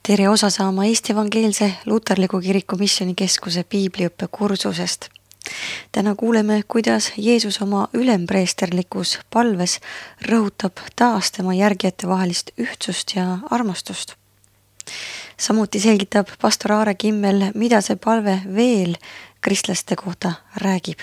Tere osa saama Eesti Evangeelse Luterliku Kiriku Missioonikeskuse piibliõppe kursusest. Täna kuuleme, kuidas Jeesus oma ülempreesterlikus palves rõhutab taas tema järgijate vahelist ühtsust ja armastust. Samuti selgitab pastor Aare Kimmel, mida see palve veel kristlaste kohta räägib.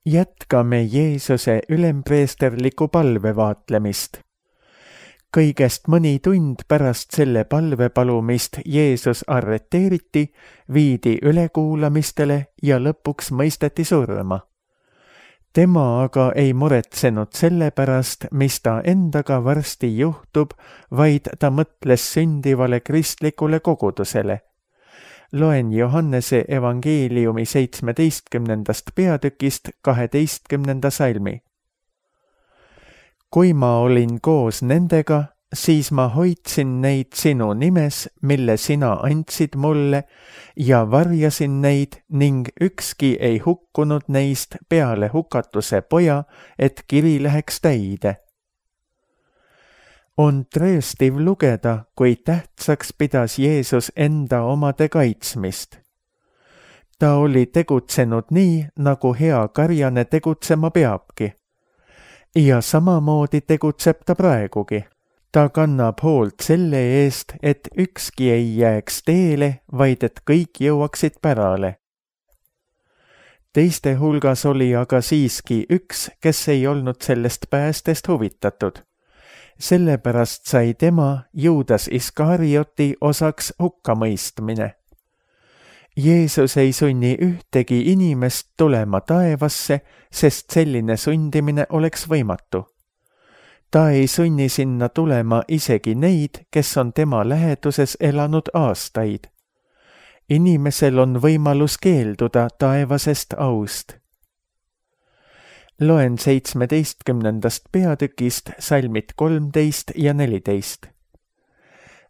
Jätkame Jeesuse ülempreesterliku palve vaatlemist. Kõigest mõni tund pärast selle palve palumist Jeesus arreteeriti, viidi ülekuulamistele ja lõpuks mõisteti surma. Tema aga ei muretsenud selle pärast, mis ta endaga varsti juhtub, vaid ta mõtles sündivale kristlikule kogudusele. Loen Johannese evangeeliumi 17. peatükist 12. salmi. Kui ma olin koos nendega, siis ma hoidsin neid sinu nimes, mille sina andsid mulle, ja varjasin neid ning ükski ei hukkunud neist peale hukatuse poja, et kiri läheks täide. On trööstiv lugeda, kui tähtsaks pidas Jeesus enda omade kaitsmist. Ta oli tegutsenud nii, nagu hea karjane tegutsema peabki. Ja samamoodi tegutseb ta praegugi. Ta kannab hoolt selle eest, et ükski ei jääks teele, vaid et kõik jõuaksid pärale. Teiste hulgas oli aga siiski üks, kes ei olnud sellest päästest huvitatud. Sellepärast sai tema, Juudas Iskarioti, osaks hukkamõistmine. Jeesus ei sunni ühtegi inimest tulema taevasse, sest selline sundimine oleks võimatu. Ta ei sunni sinna tulema isegi neid, kes on tema läheduses elanud aastaid. Inimesel on võimalus keelduda taevasest aust. Loen 17. peatükist salmid 13 ja 14.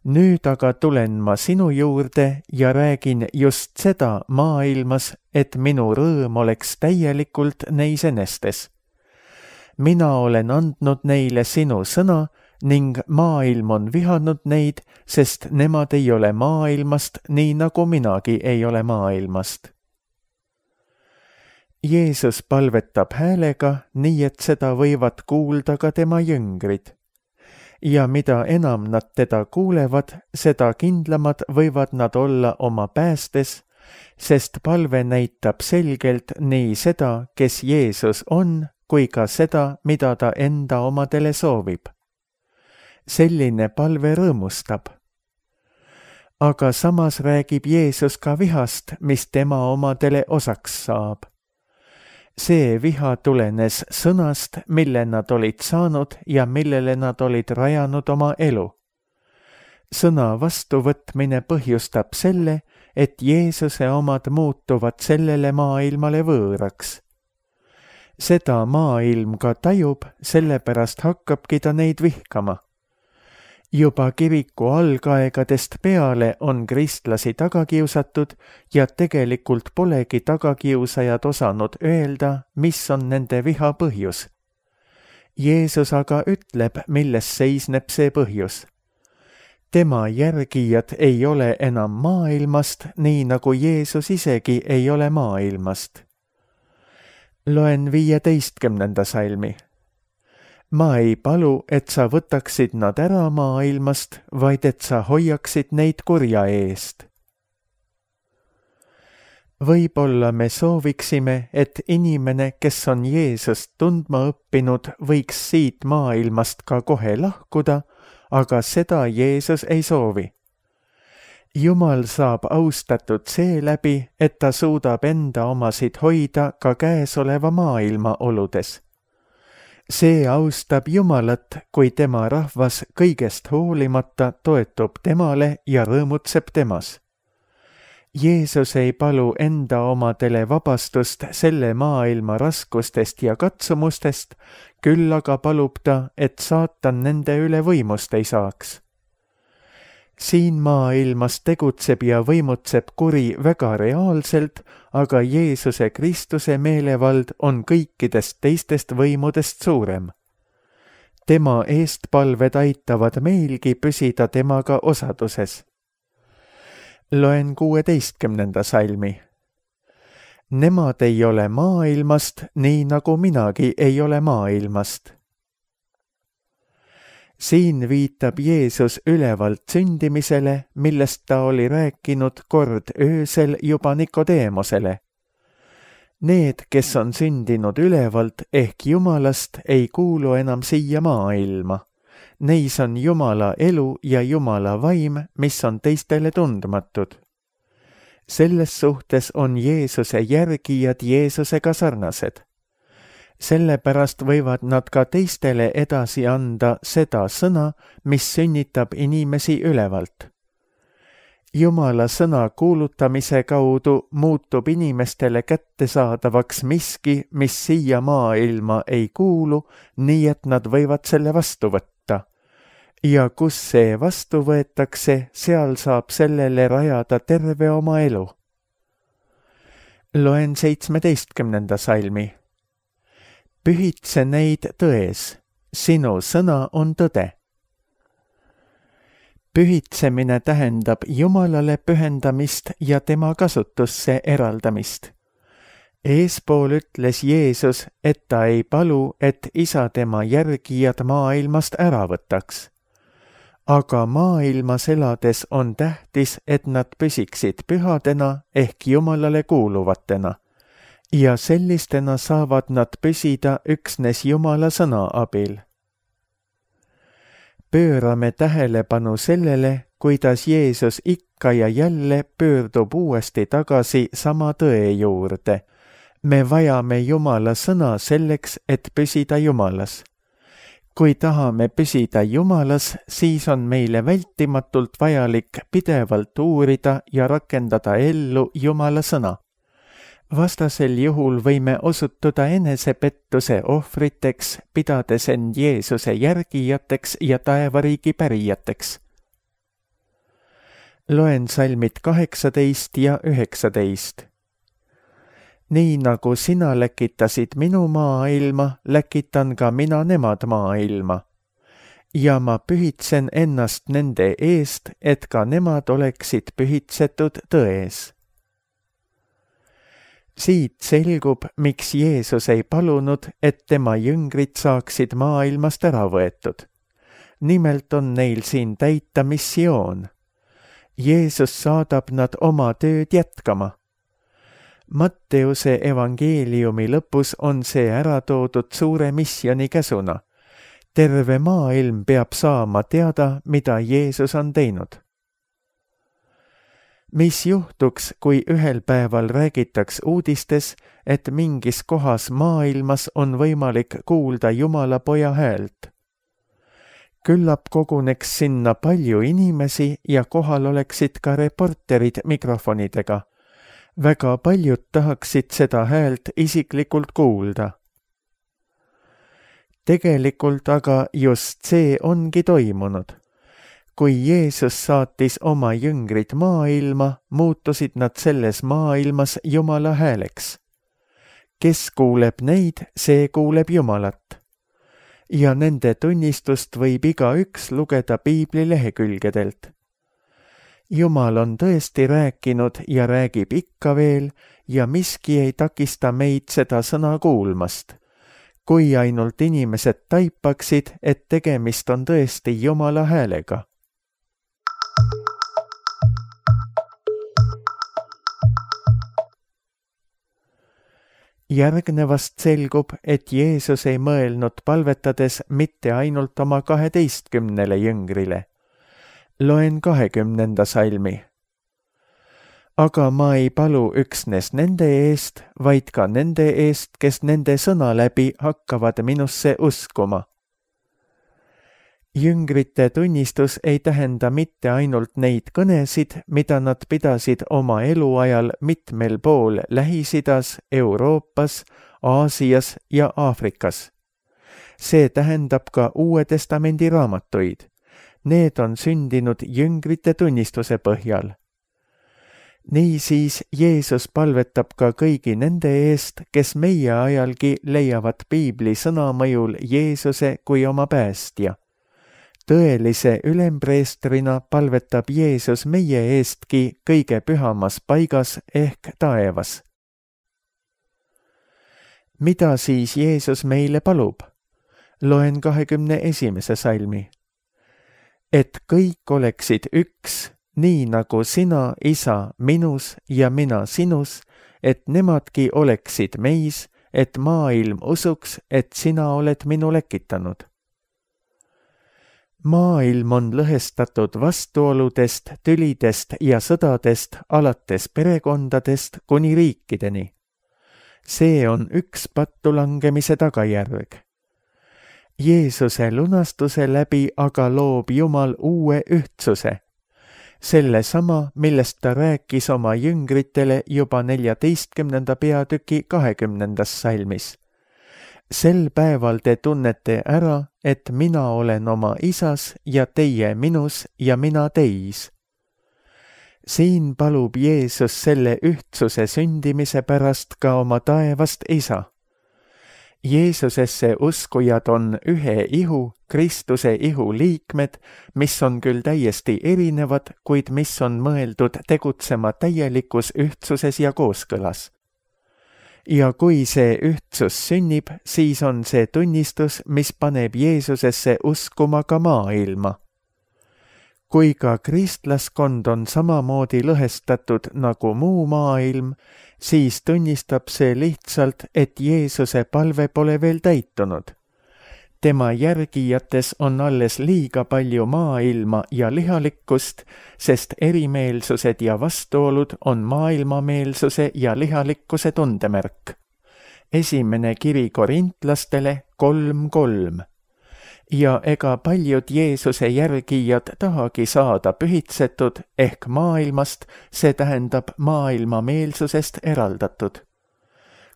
Nüüd aga tulen ma sinu juurde ja räägin just seda maailmas, et minu rõõm oleks täielikult neis enestes. Mina olen andnud neile sinu sõna ning maailm on vihanud neid, sest nemad ei ole maailmast, nii nagu minagi ei ole maailmast. Jeesus palvetab häälega, nii et seda võivad kuulda ka tema jüngrid. Ja mida enam nad teda kuulevad, seda kindlamad võivad nad olla oma päästes, sest palve näitab selgelt nii seda, kes Jeesus on, kui ka seda, mida ta enda omadele soovib. Selline palve rõõmustab. Aga samas räägib Jeesus ka vihast, mis tema omadele osaks saab. See viha tulenes sõnast, mille nad olid saanud ja millele nad olid rajanud oma elu. Sõna vastuvõtmine põhjustab selle, et Jeesuse omad muutuvad sellele maailmale võõraks. Seda maailm ka tajub, sellepärast hakkabki ta neid vihkama. Juba kiriku algaegadest peale on kristlasi tagakiusatud ja tegelikult polegi tagakiusajad osanud öelda, mis on nende viha põhjus. Jeesus aga ütleb, milles seisneb see põhjus. Tema järgijad ei ole enam maailmast, nii nagu Jeesus isegi ei ole maailmast. Loen 15. salmi. Ma ei palu, et sa võtaksid nad ära maailmast, vaid et sa hoiaksid neid kurja eest. Võib-olla me sooviksime, et inimene, kes on Jeesust tundma õppinud, võiks siit maailmast ka kohe lahkuda, aga seda Jeesus ei soovi. Jumal saab austatud seeläbi, et ta suudab enda omasid hoida ka käesoleva maailma oludes. See austab Jumalat, kui tema rahvas kõigest hoolimata toetub temale ja rõõmutseb temas. Jeesus ei palu enda omadele vabastust selle maailma raskustest ja katsumustest, küll aga palub ta, et saatan nende üle võimust ei saaks. siin maailmas tegutseb ja võimutseb kuri väga reaalselt, aga Jeesuse Kristuse meelevald on kõikidest teistest võimudest suurem. Tema eestpalved aitavad meilgi püsida temaga osaduses. Loen 16. salmi. Nemad ei ole maailmast, nii nagu minagi ei ole maailmast. Siin viitab Jeesus ülevalt sündimisele, millest ta oli rääkinud kord öösel juba Nikodeemosele. Need, kes on sündinud ülevalt ehk Jumalast, ei kuulu enam siia maailma. Neis on Jumala elu ja Jumala vaim, mis on teistele tundmatud. Selles suhtes on Jeesuse järgijad Jeesusega sarnased. Sellepärast võivad nad ka teistele edasi anda seda sõna, mis sünnitab inimesi ülevalt. Jumala sõna kuulutamise kaudu muutub inimestele kättesaadavaks miski, mis siia maailma ei kuulu, nii et nad võivad selle vastu võtta. Ja kus see vastu võetakse, seal saab sellele rajada terve oma elu. Loen 17. salmi. Pühitse neid tões, sinu sõna on tõde. Pühitsemine tähendab Jumalale pühendamist ja tema kasutusse eraldamist. Eespool ütles Jeesus, et ta ei palu, et Isa tema järgijad maailmast ära võtaks. Aga maailmas elades on tähtis, et nad püsiksid pühadena ehk Jumalale kuuluvatena. Ja sellistena saavad nad püsida üksnes Jumala sõna abil. Pöörame tähelepanu sellele, kuidas Jeesus ikka ja jälle pöördub uuesti tagasi sama tõe juurde. Me vajame Jumala sõna selleks, et püsida Jumalas. Kui tahame püsida Jumalas, siis on meile vältimatult vajalik pidevalt uurida ja rakendada ellu Jumala sõna. Vastasel juhul võime osutuda enesepettuse ohvriteks, pidades end Jeesuse järgijateks ja taevariigi pärijateks. Loen salmid 18 ja 19. Nii nagu sina läkitasid minu maailma, läkitan ka mina nemad maailma. Ja ma pühitsen ennast nende eest, et ka nemad oleksid pühitsetud tões. Siit selgub, miks Jeesus ei palunud, et tema jüngrid saaksid maailmast ära võetud. Nimelt on neil siin täita missioon. Jeesus saadab nad oma tööd jätkama. Matteuse evangeeliumi lõpus on see ära toodud suure missioni käsuna. Terve maailm peab saama teada, mida Jeesus on teinud. Mis juhtuks, kui ühel päeval räägitaks uudistes, et mingis kohas maailmas on võimalik kuulda Jumala poja häält? Küllap koguneks sinna palju inimesi ja kohal oleksid ka reporterid mikrofonidega. Väga paljud tahaksid seda häält isiklikult kuulda. Tegelikult aga just see ongi toimunud. Kui Jeesus saatis oma jüngrid maailma, muutusid nad selles maailmas Jumala hääleks. Kes kuuleb neid, see kuuleb Jumalat. Ja nende tunnistust võib igaüks lugeda Piibli lehekülgedelt. Jumal on tõesti rääkinud ja räägib ikka veel ja miski ei takista meid seda sõna kuulmast. Kui ainult inimesed taipaksid, et tegemist on tõesti Jumala häälega. Järgnevast selgub, et Jeesus ei mõelnud palvetades mitte ainult oma 12 jüngrile. Loen 20. salmi. Aga ma ei palu üksnes nende eest, vaid ka nende eest, kes nende sõna läbi hakkavad minusse uskuma. Jüngrite tunnistus ei tähenda mitte ainult neid kõnesid, mida nad pidasid oma eluajal mitmel pool Lähis-Idas, Euroopas, Aasias ja Aafrikas. See tähendab ka Uue Testamendi raamatuid. need on sündinud jüngrite tunnistuse põhjal. Niisiis Jeesus palvetab ka kõigi nende eest, kes meie ajalgi leiavad piibli sõna mõjul Jeesuse kui oma päästja. Tõelise ülempreestrina palvetab Jeesus meie eestki kõige pühamas paigas ehk taevas. Mida siis Jeesus meile palub? Loen 21. salmi. Et kõik oleksid üks, nii nagu sina, Isa, minus ja mina sinus, et nemadki oleksid meis, et maailm usuks, et sina oled minu lekitanud. Maailm on lõhestatud vastuoludest, tülidest ja sõdadest alates perekondadest kuni riikideni. See on üks pattulangemise tagajärg. Jeesuse lunastuse läbi aga loob Jumal uue ühtsuse. Selle sama, millest ta rääkis oma jüngritele juba 14. peatüki 20. salmis. Sel päeval te tunnete ära, et mina olen oma Isas ja teie minus ja mina teis. Siin palub Jeesus selle ühtsuse sündimise pärast ka oma taevast Isa. Jeesusesse uskujad on ühe ihu, Kristuse ihu liikmed, mis on küll täiesti erinevad, kuid mis on mõeldud tegutsema täielikus ühtsuses ja kooskõlas. Ja kui see ühtsus sünnib, siis on see tunnistus, mis paneb Jeesusesse uskuma ka maailma. Kui ka kristlaskond on samamoodi lõhestatud nagu muu maailm, siis tunnistab see lihtsalt, et Jeesuse palve pole veel täitunud. Tema järgijates on alles liiga palju maailma ja lihalikkust, sest erimeelsused ja vastuolud on maailmameelsuse ja lihalikkuse tundemärk. Esimene kiri Korintlastele 3:3. Ja ega paljud Jeesuse järgijad tahagi saada pühitsetud ehk maailmast, see tähendab maailmameelsusest eraldatud.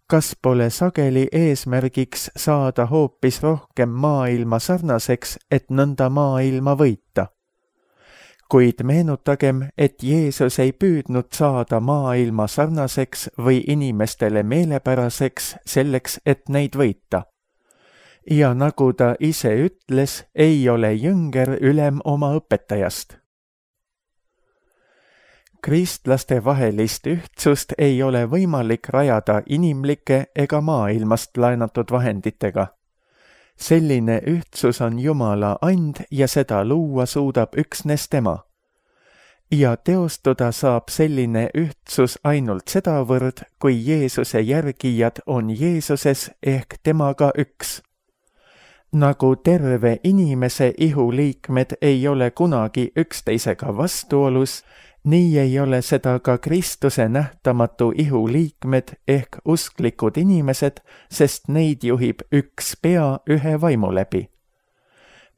Kas pole sageli eesmärgiks saada hoopis rohkem maailma sarnaseks, et nõnda maailma võita? Kuid meenutagem, et Jeesus ei püüdnud saada maailma sarnaseks või inimestele meelepäraseks selleks, et neid võita. Ja nagu ta ise ütles, ei ole jünger ülem oma õpetajast. Kristlaste vahelist ühtsust ei ole võimalik rajada inimlike ega maailmast laenatud vahenditega. Selline ühtsus on Jumala and ja seda luua suudab üksnes tema. Ja teostuda saab selline ühtsus ainult sedavõrd, kui Jeesuse järgijad on Jeesuses ehk temaga üks. Nagu terve inimese ihuliikmed ei ole kunagi üksteisega vastuolus, nii ei ole seda ka Kristuse nähtamatu ihuliikmed ehk usklikud inimesed, sest neid juhib üks pea ühe vaimu läbi.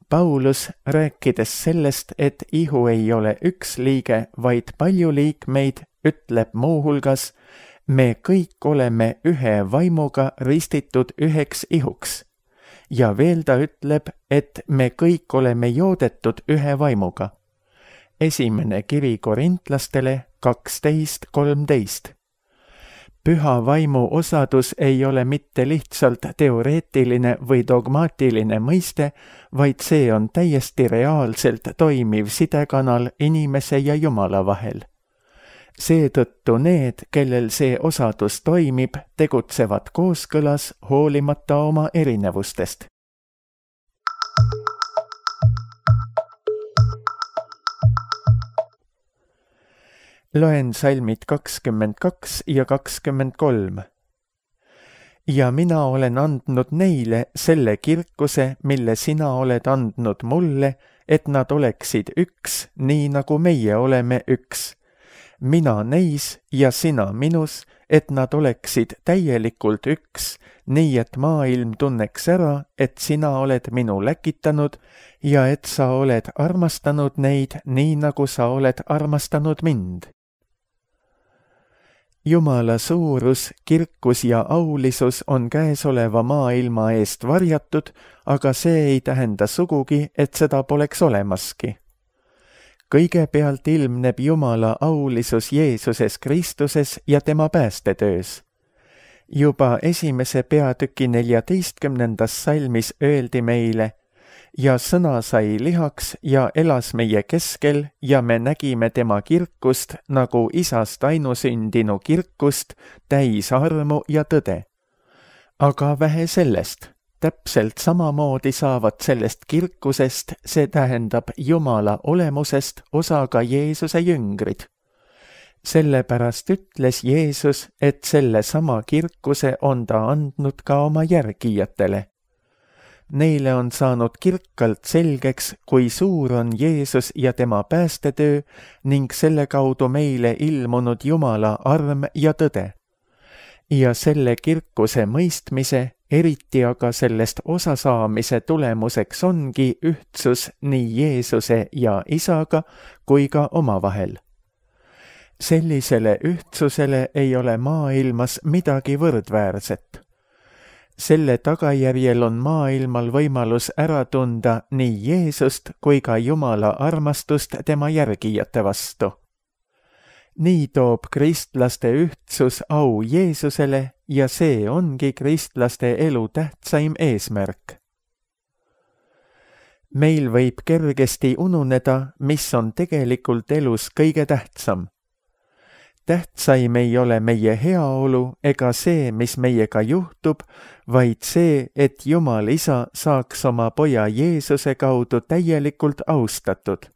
Paulus, rääkides sellest, et ihu ei ole üks liige, vaid palju liikmeid, ütleb muuhulgas, me kõik oleme ühe vaimuga ristitud üheks ihuks. Ja veel ta ütleb, et me kõik oleme joodetud ühe vaimuga. Esimene kiri Korintlastele 12:13. Püha vaimu osadus ei ole mitte lihtsalt teoreetiline või dogmaatiline mõiste, vaid see on täiesti reaalselt toimiv sidekanal inimese ja Jumala vahel. Seetõttu need, kellel see osadus toimib, tegutsevad kooskõlas hoolimata oma erinevustest. Loen salmid 22 ja 23. Ja mina olen andnud neile selle kirkuse, mille sina oled andnud mulle, et nad oleksid üks, nii nagu meie oleme üks. Mina neis ja sina minus, et nad oleksid täielikult üks, nii et maailm tunneks ära, et sina oled minu läkitanud ja et sa oled armastanud neid nii, nagu sa oled armastanud mind. Jumala suurus, kirkus ja aulisus on käesoleva maailma eest varjatud, aga see ei tähenda sugugi, et seda poleks olemaski. kõigepealt ilmneb Jumala aulisus Jeesuses Kristuses ja tema päästetöös. Juba 1. peatüki 14. salmis öeldi meile: ja sõna sai lihaks ja elas meie keskel ja me nägime tema kirkust nagu isast ainusündinu kirkust, täis armu ja tõde. Aga vähe sellest, täpselt samamoodi saavad sellest kirkusest, see tähendab Jumala olemusest, osa ka Jeesuse jüngrid. Sellepärast ütles Jeesus, et selle sama kirkuse on ta andnud ka oma järgijatele. Neile on saanud kirkalt selgeks, kui suur on Jeesus ja tema päästetöö ning selle kaudu meile ilmunud Jumala arm ja tõde. Ja selle kirkuse mõistmise, eriti aga sellest osasaamise tulemuseks ongi ühtsus nii Jeesuse ja Isaga kui ka omavahel. Sellisele ühtsusele ei ole maailmas midagi võrdväärset. Selle tagajärjel on maailmal võimalus ära tunda nii Jeesust kui ka Jumala armastust tema järgijate vastu. Nii toob kristlaste ühtsus au Jeesusele ja see ongi kristlaste elu tähtsaim eesmärk. Meil võib kergesti ununeda, mis on tegelikult elus kõige tähtsam. Tähtsaim ei ole meie heaolu ega see, mis meiega juhtub, vaid see, et Jumal Isa saaks oma poja Jeesuse kaudu täielikult austatud.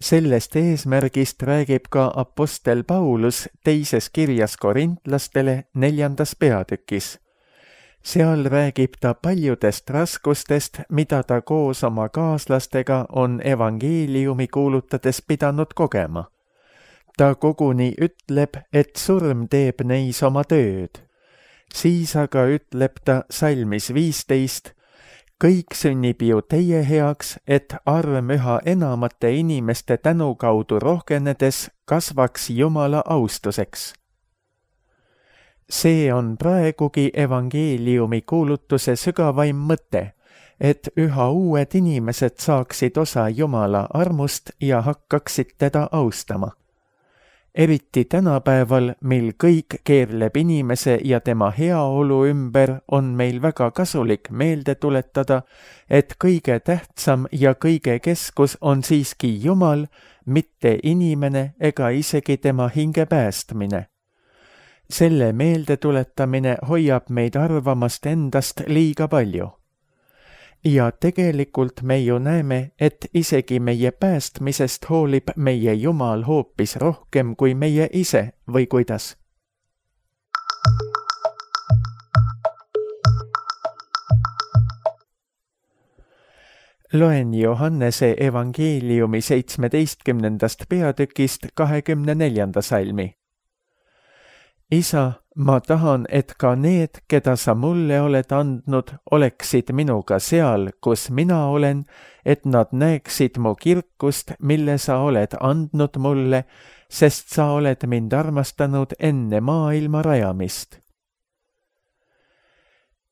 Sellest eesmärgist räägib ka apostel Paulus 2. kirjas korintlastele 4. peatükis. Seal räägib ta paljudest raskustest, mida ta koos oma kaaslastega on evangeeliumi kuulutades pidanud kogema. Ta koguni ütleb, et surm teeb neis oma tööd. Siis aga ütleb ta salmis 15, kõik sünnib ju teie heaks, et arm üha enamate inimeste tänu kaudu rohkenedes kasvaks Jumala austuseks. See on praegugi evangeeliumi kuulutuse sügavaim mõte, et üha uued inimesed saaksid osa Jumala armust ja hakkaksid teda austama. Eriti tänapäeval, mil kõik keerleb inimese ja tema heaolu ümber, on meil väga kasulik meelde tuletada, et kõige tähtsam ja kõige keskus on siiski Jumal, mitte inimene ega isegi tema hinge päästmine. Selle meelde tuletamine hoiab meid arvamast endast liiga palju. Ja tegelikult me ju näeme, et isegi meie päästmisest hoolib meie Jumal hoopis rohkem kui meie ise, või kuidas? Loen Johannese evangeeliumi 17. peatükist 24. salmi. Isa, ma tahan, et ka need, keda sa mulle oled andnud, oleksid minuga seal, kus mina olen, et nad näeksid mu kirkust, mille sa oled andnud mulle, sest sa oled mind armastanud enne maailma rajamist.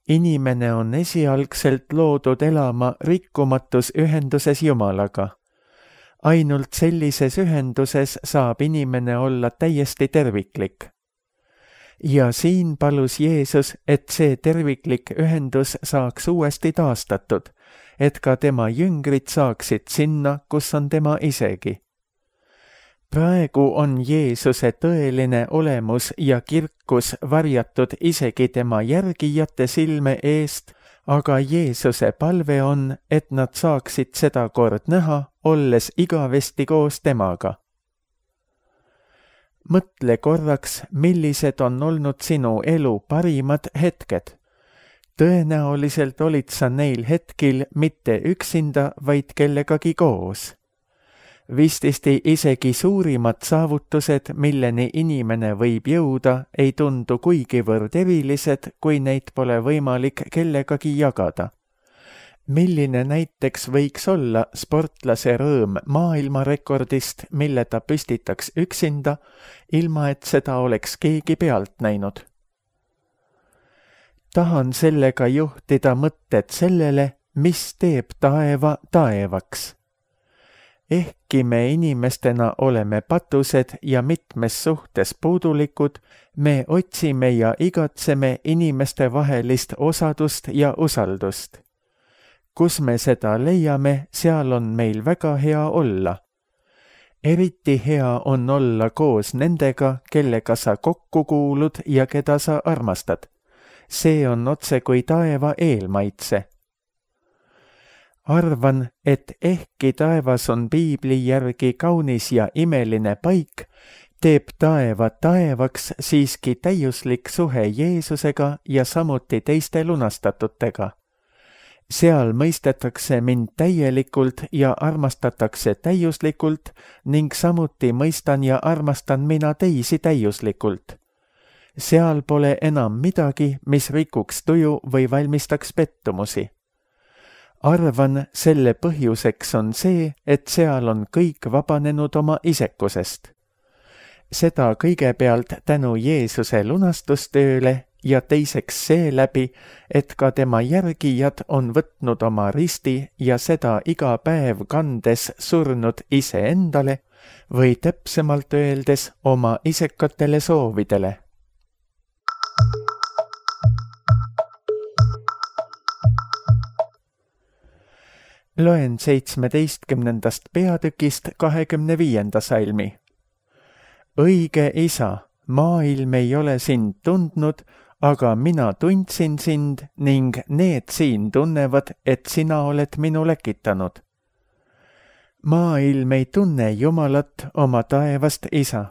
Inimene on esialgselt loodud elama rikkumatus ühenduses Jumalaga. Ainult sellises ühenduses saab inimene olla täiesti terviklik. Ja siin palus Jeesus, et see terviklik ühendus saaks uuesti taastatud, et ka tema jüngrid saaksid sinna, kus on tema isegi. Praegu on Jeesuse tõeline olemus ja kirkus varjatud isegi tema järgijate silme eest, aga Jeesuse palve on, et nad saaksid seda kord näha, olles igavesti koos temaga. Mõtle korraks, millised on olnud sinu elu parimad hetked. Tõenäoliselt olid sa neil hetkil mitte üksinda, vaid kellegagi koos. Vististi isegi suurimad saavutused, milleni inimene võib jõuda, ei tundu kuigivõrd erilised, kui neid pole võimalik kellegagi jagada. Milline näiteks võiks olla sportlase rõõm maailmarekordist, mille ta püstitaks üksinda, ilma et seda oleks keegi pealt näinud? Tahan sellega juhtida mõtted sellele, mis teeb taeva taevaks. ehkki me inimestena oleme patused ja mitmes suhtes puudulikud, me otsime ja igatseme inimeste vahelist osadust ja usaldust. Kus me seda leiame, seal on meil väga hea olla. Eriti hea on olla koos nendega, kellega sa kokku kuulud ja keda sa armastad. See on otse kui taeva eelmaitse. Arvan, et ehkki taevas on piibli järgi kaunis ja imeline paik, teeb taeva taevaks siiski täiuslik suhe Jeesusega ja samuti teiste lunastatutega. Seal mõistetakse mind täielikult ja armastatakse täiuslikult ning samuti mõistan ja armastan mina teisi täiuslikult. Seal pole enam midagi, mis rikuks tuju või valmistaks pettumusi. Arvan, selle põhjuseks on see, et seal on kõik vabanenud oma isekusest. Seda kõigepealt tänu Jeesuse lunastustööle ja teiseks seeläbi, et ka tema järgijad on võtnud oma risti ja seda iga päev kandes surnud iseendale või täpsemalt öeldes oma isekatele soovidele. Loen 17. peatükist 25. salmi. Õige Isa, maailm ei ole sind tundnud, aga mina tundsin sind ning need siin tunnevad, et sina oled minu läkitanud. Maailm ei tunne Jumalat, oma taevast Isa.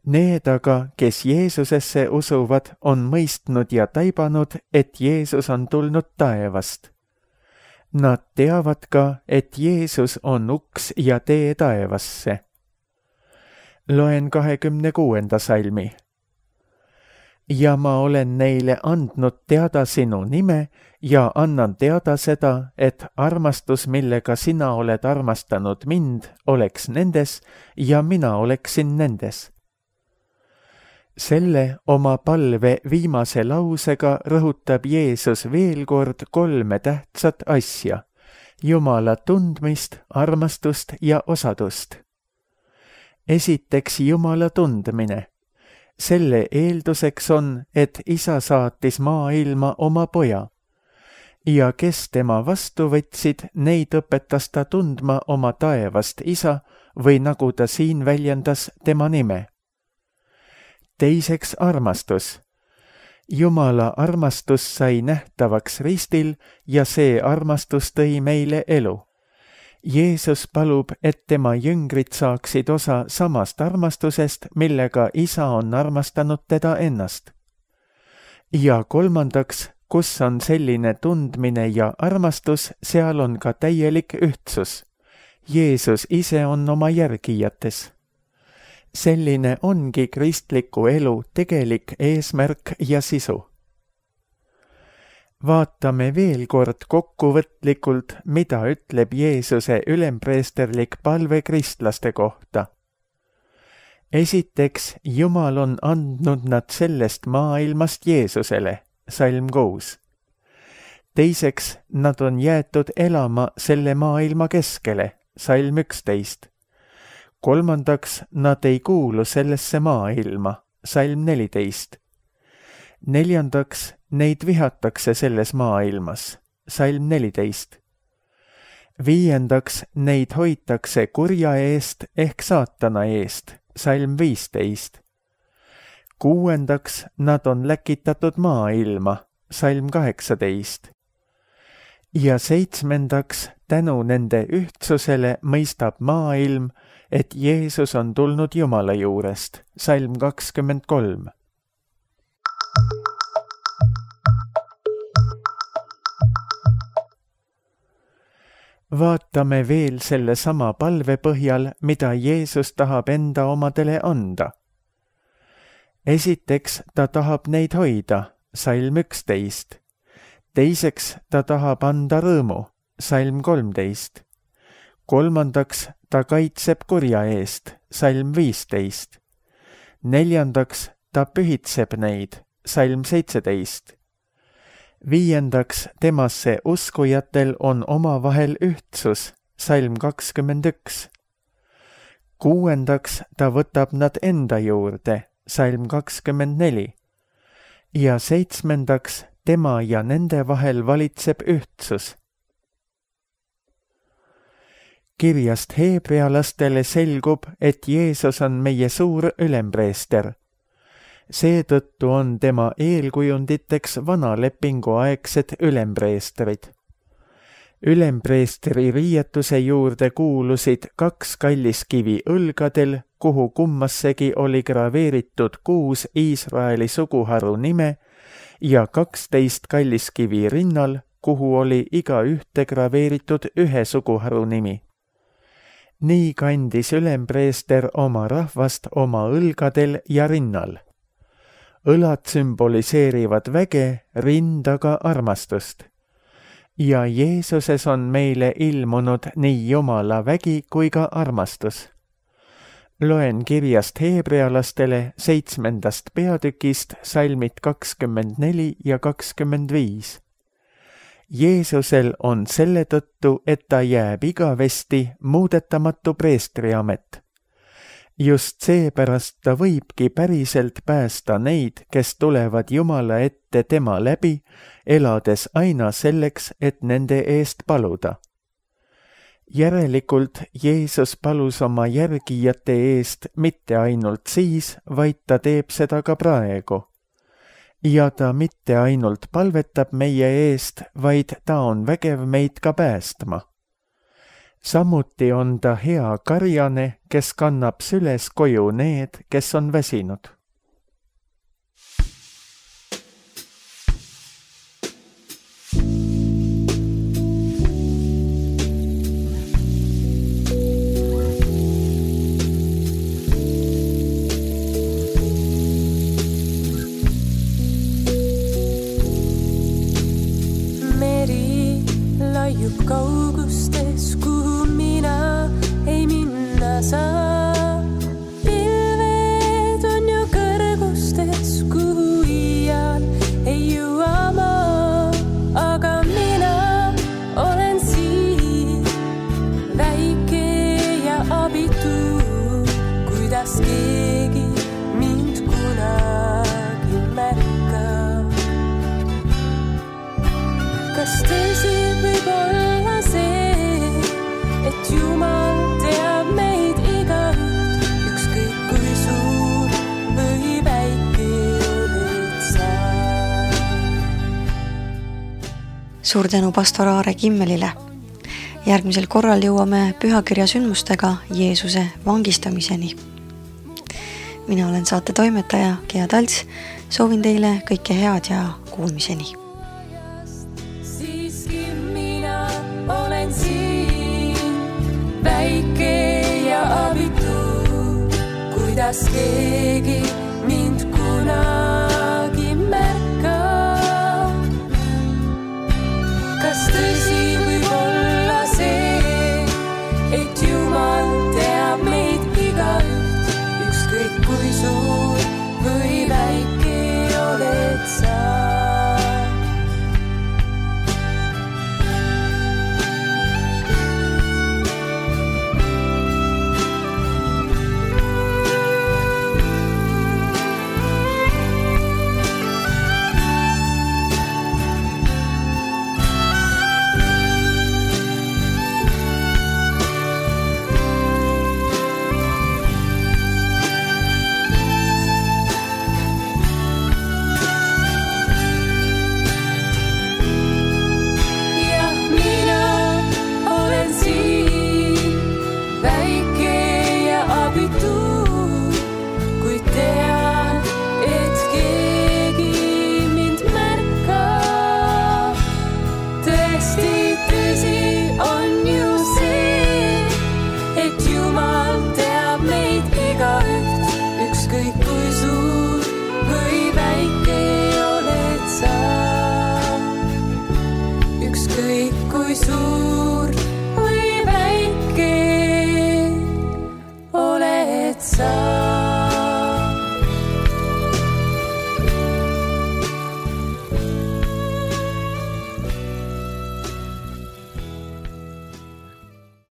Need aga, kes Jeesusesse usuvad, on mõistnud ja taibanud, et Jeesus on tulnud taevast. Nad teavad ka, et Jeesus on uks ja tee taevasse. Loen 26. salmi. Ja ma olen neile andnud teada sinu nime ja annan teada seda, et armastus, millega sina oled armastanud mind, oleks nendes ja mina oleksin nendes. Selle oma palve viimase lausega rõhutab Jeesus veel kord 3 tähtsat asja: Jumala tundmist, armastust ja osadust. Esiteks Jumala tundmine. Selle eelduseks on, et Isa saatis maailma oma poja. Ja kes tema vastu võtsid, neid õpetas ta tundma oma taevast Isa või nagu ta siin väljendas, tema nime. Teiseks armastus. Jumala armastus sai nähtavaks ristil ja see armastus tõi meile elu. Jeesus palub, et tema jüngrid saaksid osa samast armastusest, millega Isa on armastanud teda ennast. Ja kolmandaks, kus on selline tundmine ja armastus, seal on ka täielik ühtsus. Jeesus ise on oma järgijates. Selline ongi kristliku elu tegelik eesmärk ja sisu. Vaatame veel kord kokkuvõtlikult, mida ütleb Jeesuse ülempreesterlik palve kristlaste kohta. Esiteks, Jumal on andnud nad sellest maailmast Jeesusele, salm 6. Teiseks, nad on jäetud elama selle maailma keskele, salm 11. Kolmandaks, nad ei kuulu sellesse maailma, salm 14. Neljandaks, neid vihatakse selles maailmas, salm 14. Viiendaks, neid hoitakse kurja eest ehk saatana eest, salm 15. Kuuendaks, nad on läkitatud maailma, salm 18. Ja seitsmendaks, tänu nende ühtsusele mõistab maailm, et Jeesus on tulnud Jumala juurest, salm 23. Vaatame veel selle sama palve põhjal, mida Jeesus tahab enda omadele anda. Esiteks, ta tahab neid hoida, salm 11. Teiseks, ta tahab anda rõõmu, salm 13. Kolmandaks, ta kaitseb kurja eest, salm 15. Neljandaks, ta pühitseb neid, salm 17. Viiendaks, temasse uskujatel on omavahel ühtsus, salm 21. 6. ta võtab nad enda juurde, salm 24. ja 7. tema ja nende vahel valitseb ühtsus. Kirjast heebrealastele selgub, et Jeesus on meie suur ülempreester. Seetõttu on tema eelkujunditeks vana lepingu aegsed ülempreestrid. Ülempreestri riietuse juurde kuulusid 2 kalliskivi õlgadel, kuhu kummassegi oli graveeritud 6 Iisraeli suguharu nime ja 12 kalliskivi rinnal, kuhu oli iga ühte graveeritud 1 suguharu nimi. Nii kandis ülempreester oma rahvast oma õlgadel ja rinnal. Õlad sümboliseerivad väge, rind aga armastust. Ja Jeesuses on meile ilmunud nii Jumala vägi kui ka armastus. Loen kirjast heebrealastele 7. peatükist salmid 24 ja 25. Jeesusel on selle tõttu, et ta jääb igavesti muudetamatu preestriamet. Just seepärast ta võibki päriselt päästa neid, kes tulevad Jumala ette tema läbi, elades aina selleks, et nende eest paluda. Järelikult Jeesus palus oma järgijate eest mitte ainult siis, vaid ta teeb seda ka praegu. Ja ta mitte ainult palvetab meie eest, vaid ta on vägev meid ka päästma. Samuti on ta hea karjane, kes kannab süles koju need, kes on väsinud. Meri laiub kaugustes, kuhu mina ei minna saa. Pilved on ju kõrgustes, kuhu iial ei jõua ma. Aga mina olen siin, väike ja abitu, kuidas keegi mind kunagi märkab. Kas tõsi võib olla see, et Jumal teab meid igaüht, ükskõik kui suur või väike oled sa? Suur tänu pastor Aare Kimmelile. Järgmisel korral jõuame pühakirja sündmustega Jeesuse vangistamiseni. Mina olen saate toimetaja Gea Talts. Soovin teile kõike head ja kuulmiseni. Siiski mina olen siin, väike ja abitu, kuidas keegi mind kunagi märkab. Kas tõsi võib olla see, et Jumal teab meid igaüht, ükskõik kui suur